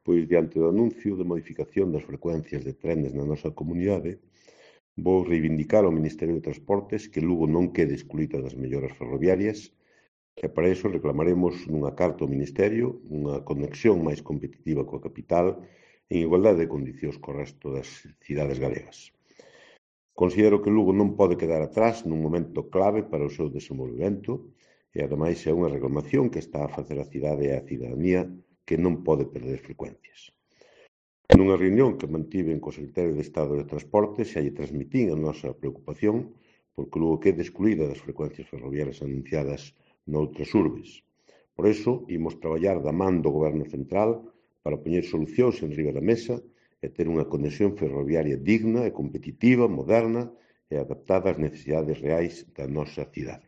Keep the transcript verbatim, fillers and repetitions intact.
Pois, diante do anuncio de modificación das frecuencias de trenes na nosa comunidade, vou reivindicar ao Ministerio de Transportes que Lugo non quede excluída das melloras ferroviarias e para iso reclamaremos nunha carta ao Ministerio unha conexión máis competitiva coa capital en igualdade de condicións co resto das cidades galegas. Considero que Lugo non pode quedar atrás nun momento clave para o seu desenvolvemento e, ademais, é unha reclamación que está a facer a cidade e a cidadanía que non pode perder frecuencias. Nunha reunión que mantiven co secretario de Estado de Transportes xa lle transmitín a nosa preocupación porque Lugo quede excluída das frecuencias ferroviarias anunciadas noutras urbes. Por iso, imos traballar da man do Goberno Central para poñer solucións en riba da mesa e ter unha conexión ferroviaria digna e competitiva, moderna e adaptada ás necesidades reais da nosa cidade.